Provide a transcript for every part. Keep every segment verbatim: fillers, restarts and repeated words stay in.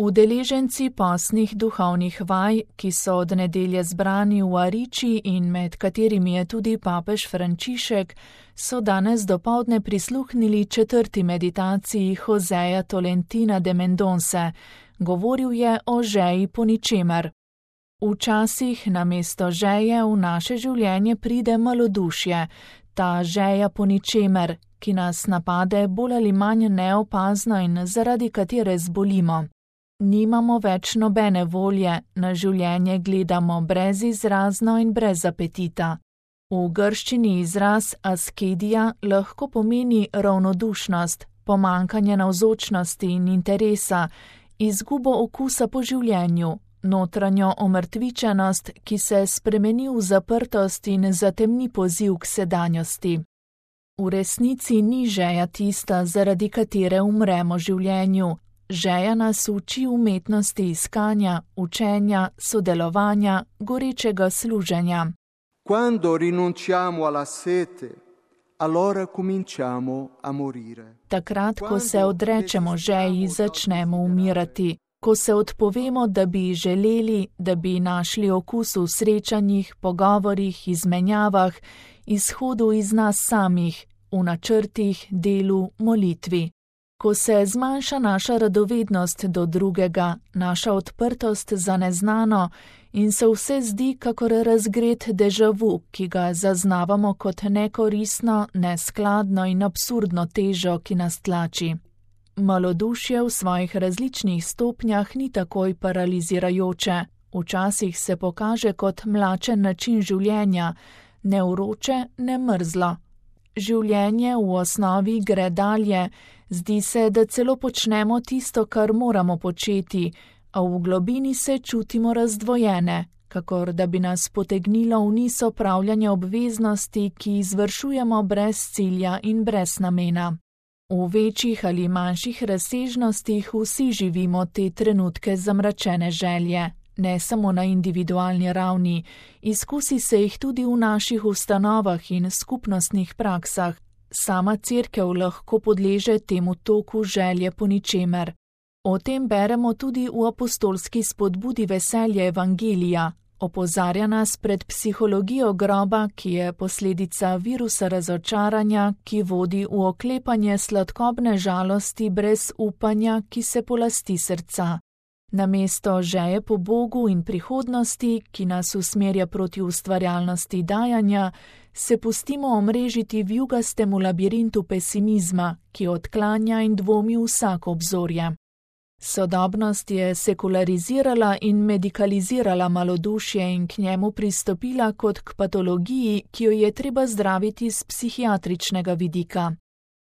Udeleženci postnih duhovnih vaj, ki so od nedelje zbrani v Ariči in med katerimi je tudi papež Frančišek, so danes dopoldne prisluhnili četrti meditaciji Joseja Tolentina de Mendonce. Govoril je o žeji po ničemer. Včasih namesto žeje v naše življenje pride malodušje, ta žeja po ničemer, ki nas napade bolj ali manj neopazno in zaradi katere zbolimo. Nimamo več nobene volje, na življenje gledamo brezizrazno in brez apetita. V grščini izraz askedija lahko pomeni ravnodušnost, pomanjkanje navzočnosti in interesa, izgubo okusa po življenju, notranjo omrtvičenost, ki se spremeni v zaprtost in zatemni poziv k sedanjosti. V resnici ni žeja tista, zaradi katere umremo življenju. Žeja nas uči umetnosti iskanja, učenja, sodelovanja, gorečega služenja. Quando rinunciamo alla sete, allora cominciamo a morire. Takrat, ko se odrečemo žeji, začnemo umirati. Ko se odpovemo, da bi želeli, da bi našli okus v srečanjih, pogovorih, izmenjavah, izhodu iz nas samih, v načrtih, delu, molitvi. Ko se zmanjša naša radovednost do drugega, naša odprtost za neznano in se vse zdi kakor razgret dežavu, ki ga zaznavamo kot nekoristno, neskladno in absurdno težo, ki nas tlači. Malodušje v svojih različnih stopnjah ni takoj paralizirajoče, včasih se pokaže kot mlačen način življenja, ne vroče, ne mrzlo. Življenje v osnovi gre dalje, zdi se, da celo počnemo tisto, kar moramo početi, a v globini se čutimo razdvojene, kakor da bi nas potegnilo v niz opravljanja obveznosti, ki izvršujemo brez cilja in brez namena. V večjih ali manjših razsežnostih vsi živimo te trenutke zamračene želje. Ne samo na individualni ravni, izkusi se jih tudi v naših ustanovah in skupnostnih praksah. Sama cerkev lahko podleže temu toku želje po ničemer. O tem beremo tudi v apostolski spodbudi veselje evangelija. Opozarja nas pred psihologijo groba, ki je posledica virusa razočaranja, ki vodi v oklepanje sladkobne žalosti brez upanja, ki se polasti srca. Namesto žeje po Bogu in prihodnosti, ki nas usmerja proti ustvarjalnosti dajanja, se pustimo omrežiti v jugastemu labirintu pesimizma, ki odklanja in dvomi vsako obzorje. Sodobnost je sekularizirala in medikalizirala malodušje in k njemu pristopila kot k patologiji, ki jo je treba zdraviti z psihiatričnega vidika.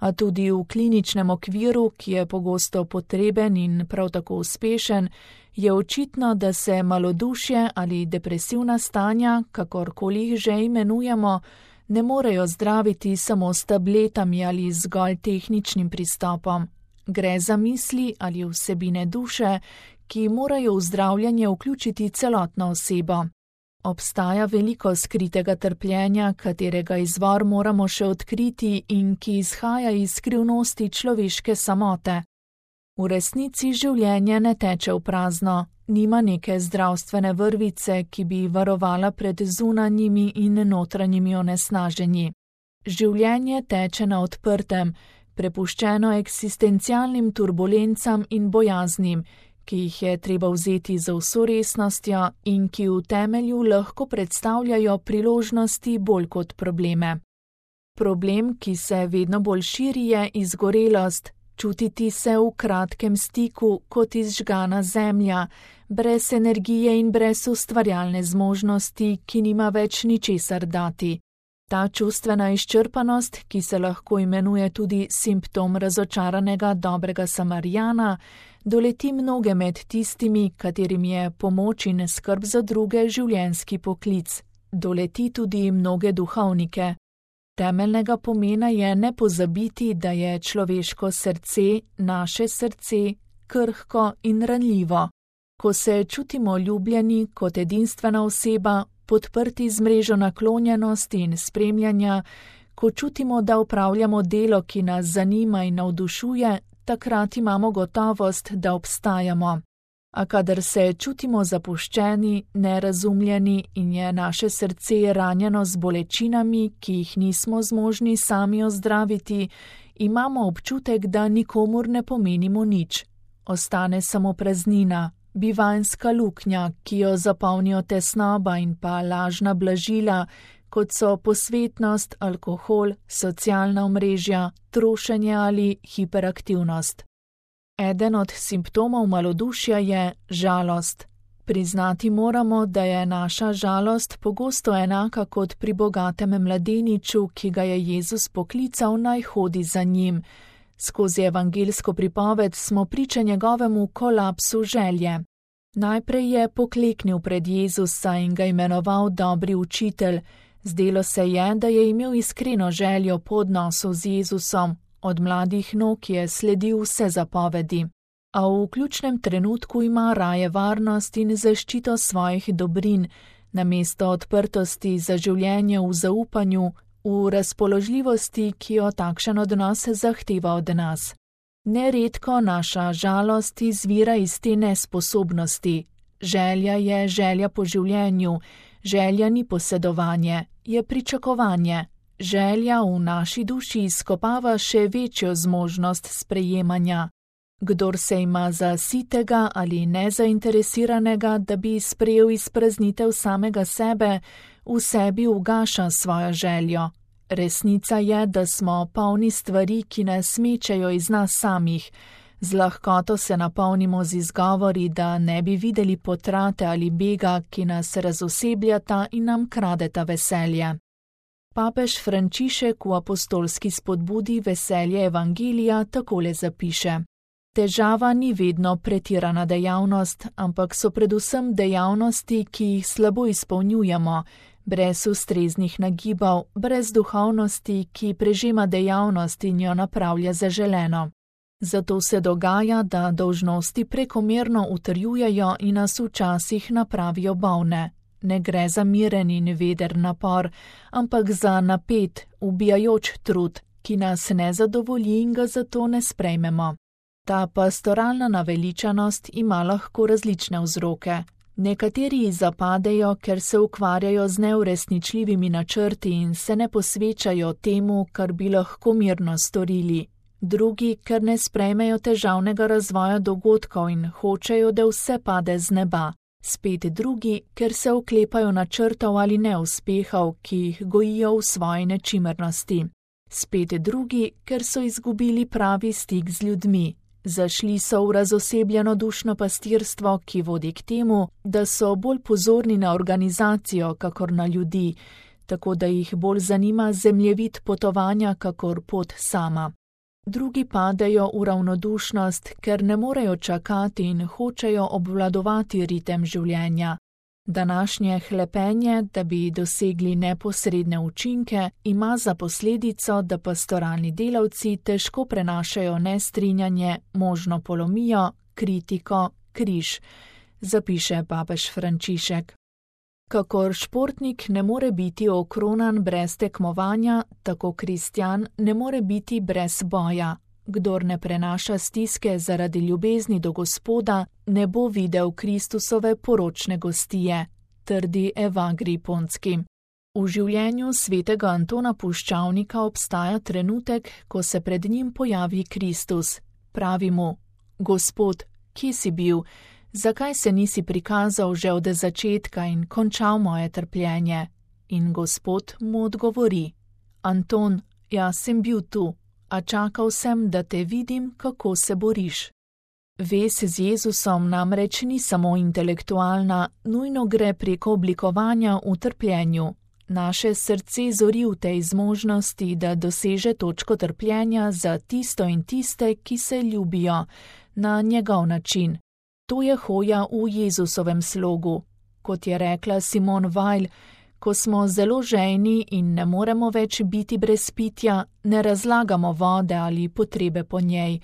A tudi v kliničnem okviru, ki je pogosto potreben in prav tako uspešen, je očitno, da se malodušje ali depresivna stanja, kakorkoli jih že imenujemo, ne morejo zdraviti samo s tabletami ali zgolj tehničnim pristopom. Gre za misli ali vsebine duše, ki morajo v zdravljenje vključiti celotno osebo. Obstaja veliko skritega trpljenja, katerega izvor moramo še odkriti in ki izhaja iz skrivnosti človeške samote. V resnici življenje ne teče v prazno, nima neke zdravstvene vrvice, ki bi varovala pred zunanjimi in notranjimi onesnaženji. Življenje teče na odprtem, prepuščeno eksistencialnim turbulencam in bojaznim, ki jih je treba vzeti z vso resnostjo in ki v temelju lahko predstavljajo priložnosti bolj kot probleme. Problem, ki se vedno bolj širi, je izgorelost, čutiti se v kratkem stiku kot izžgana zemlja, brez energije in brez ustvarjalne zmožnosti, ki nima več ničesar dati. Ta čustvena izčrpanost, ki se lahko imenuje tudi simptom razočaranega dobrega Samarijana, doleti mnoge med tistimi, katerim je pomoč in skrb za druge življenjski poklic. Doleti tudi mnoge duhovnike. Temeljnega pomena je ne pozabiti, da je človeško srce, naše srce, krhko in ranljivo. Ko se čutimo ljubljeni kot edinstvena oseba, podprti z mrežo naklonjenosti in spremljanja, ko čutimo, da opravljamo delo, ki nas zanima in navdušuje, takrat imamo gotovost, da obstajamo. A kadar se čutimo zapuščeni, nerazumljeni in je naše srce ranjeno z bolečinami, ki jih nismo zmožni sami ozdraviti, imamo občutek, da nikomur ne pomenimo nič. Ostane samo praznina, bivanjska luknja, ki jo zapolnijo tesnoba in pa lažna blažila, kot so posvetnost, alkohol, socialna omrežja, trošenje ali hiperaktivnost. Eden od simptomov malodušja je žalost. Priznati moramo, da je naša žalost pogosto enaka kot pri bogatem mladeniču, ki ga je Jezus poklical, naj hodi za njim. Skozi evangeljsko pripoved smo priča njegovemu kolapsu želje. Najprej je pokleknil pred Jezusa in ga imenoval dobri učitelj. Zdelo se je, da je imel iskreno željo po odnosu z Jezusom. Od mladih nog je sledil vse zapovedi. A v ključnem trenutku ima raje varnost in zaščito svojih dobrin, namesto odprtosti za življenje v zaupanju, v razpoložljivosti, ki jo takšen odnos zahteva od nas. Neredko naša žalost izvira iz te nesposobnosti. Želja je želja po življenju, želja ni posedovanje, je pričakovanje. Želja v naši duši izkopava še večjo zmožnost sprejemanja. Kdor se ima za sitega ali nezainteresiranega, da bi sprejel izpraznitev samega sebe, v sebi ugaša svojo željo. Resnica je, da smo polni stvari, ki nas mečejo iz nas samih. Z lahkoto se napolnimo z izgovori, da ne bi videli potrate ali bega, ki nas razosebljata in nam kradeta veselje. Papež Frančišek v apostolski spodbudi Veselje evangelija takole zapiše: Težava ni vedno pretirana dejavnost, ampak so predvsem dejavnosti, ki jih slabo izpolnjujemo, brez ustreznih nagibov, brez duhovnosti, ki prežema dejavnost in jo napravlja zaželeno. Zato se dogaja, da dolžnosti prekomerno utrjujejo in nas včasih napravijo bolne. Ne gre za miren in veder napor, ampak za napet, ubijajoč trud, ki nas ne zadovolji in ga zato ne sprejmemo. Ta pastoralna naveličanost ima lahko različne vzroke. Nekateri zapadejo, ker se ukvarjajo z neuresničljivimi načrti in se ne posvečajo temu, kar bi lahko mirno storili. Drugi, ker ne sprejmejo težavnega razvoja dogodkov in hočejo, da vse pade z neba. Spet drugi, ker se oklepajo načrtov ali neuspehov, ki jih gojijo v svoji nečimrnosti. Spet drugi, ker so izgubili pravi stik z ljudmi. Zašli so v razosebljeno dušno pastirstvo, ki vodi k temu, da so bolj pozorni na organizacijo, kakor na ljudi, tako da jih bolj zanima zemljevid potovanja, kakor pot sama. Drugi padejo v ravnodušnost, ker ne morejo čakati in hočejo obvladovati ritem življenja. Današnje hlepenje, da bi dosegli neposredne učinke, ima za posledico, da pastoralni delavci težko prenašajo nestrinjanje, možno polomijo, kritiko, križ, zapiše papež Frančišek. Kakor športnik ne more biti okronan brez tekmovanja, tako kristjan ne more biti brez boja. Kdor ne prenaša stiske zaradi ljubezni do Gospoda, ne bo videl Kristusove poročne gostije, trdi Evagri Ponski. V življenju svetega Antona Puščavnika obstaja trenutek, ko se pred njim pojavi Kristus. Pravi mu: Gospod, kje si bil? Zakaj se nisi prikazal že od začetka in končal moje trpljenje? In Gospod mu odgovori: Anton, jaz sem bil tu, a čakal sem, da te vidim, kako se boriš. Vez z Jezusom namreč ni samo intelektualna, nujno gre preko oblikovanja v trpljenju. Naše srce zori v tej zmožnosti, da doseže točko trpljenja za tisto in tiste, ki se ljubijo, na njegov način. To je hoja v Jezusovem slogu. Kot je rekla Simone Weil, ko smo zelo žejni in ne moremo več biti brez pitja, ne razlagamo vode ali potrebe po njej,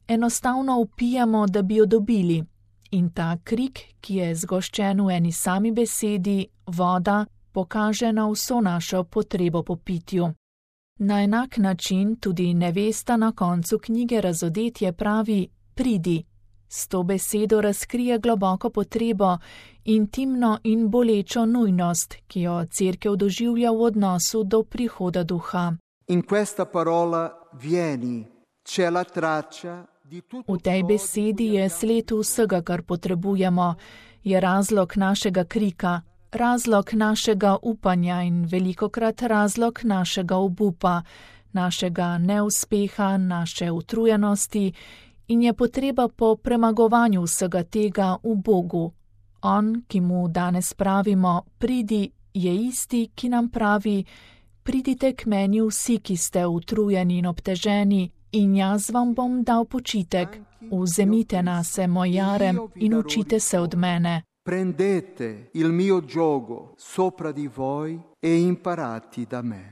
enostavno vpijemo, da bi jo dobili. In ta krik, ki je zgoščen v eni sami besedi, voda, pokaže na vso našo potrebo po pitju. Na enak način tudi nevesta na koncu knjige Razodetje pravi: pridi. S to besedo razkrije globoko potrebo, intimno in bolečo nujnost, ki jo Cerkev doživlja v odnosu do prihoda Duha. In questa parola vieni, c'è la traccia di tutto. V tej besedi je sled vsega, kar potrebujemo, je razlog našega krika, razlog našega upanja in velikokrat razlog našega obupa, našega neuspeha, naše utrujenosti in je potreba po premagovanju vsega tega v Bogu. On, ki mu danes pravimo, pridi, je isti, ki nam pravi, pridite k meni vsi, ki ste utrujeni in obteženi, in jaz vam bom dal počitek. Vzemite nase moj jarem in učite se od mene. Prendete il mio giogo sopra di voi e imparati da me.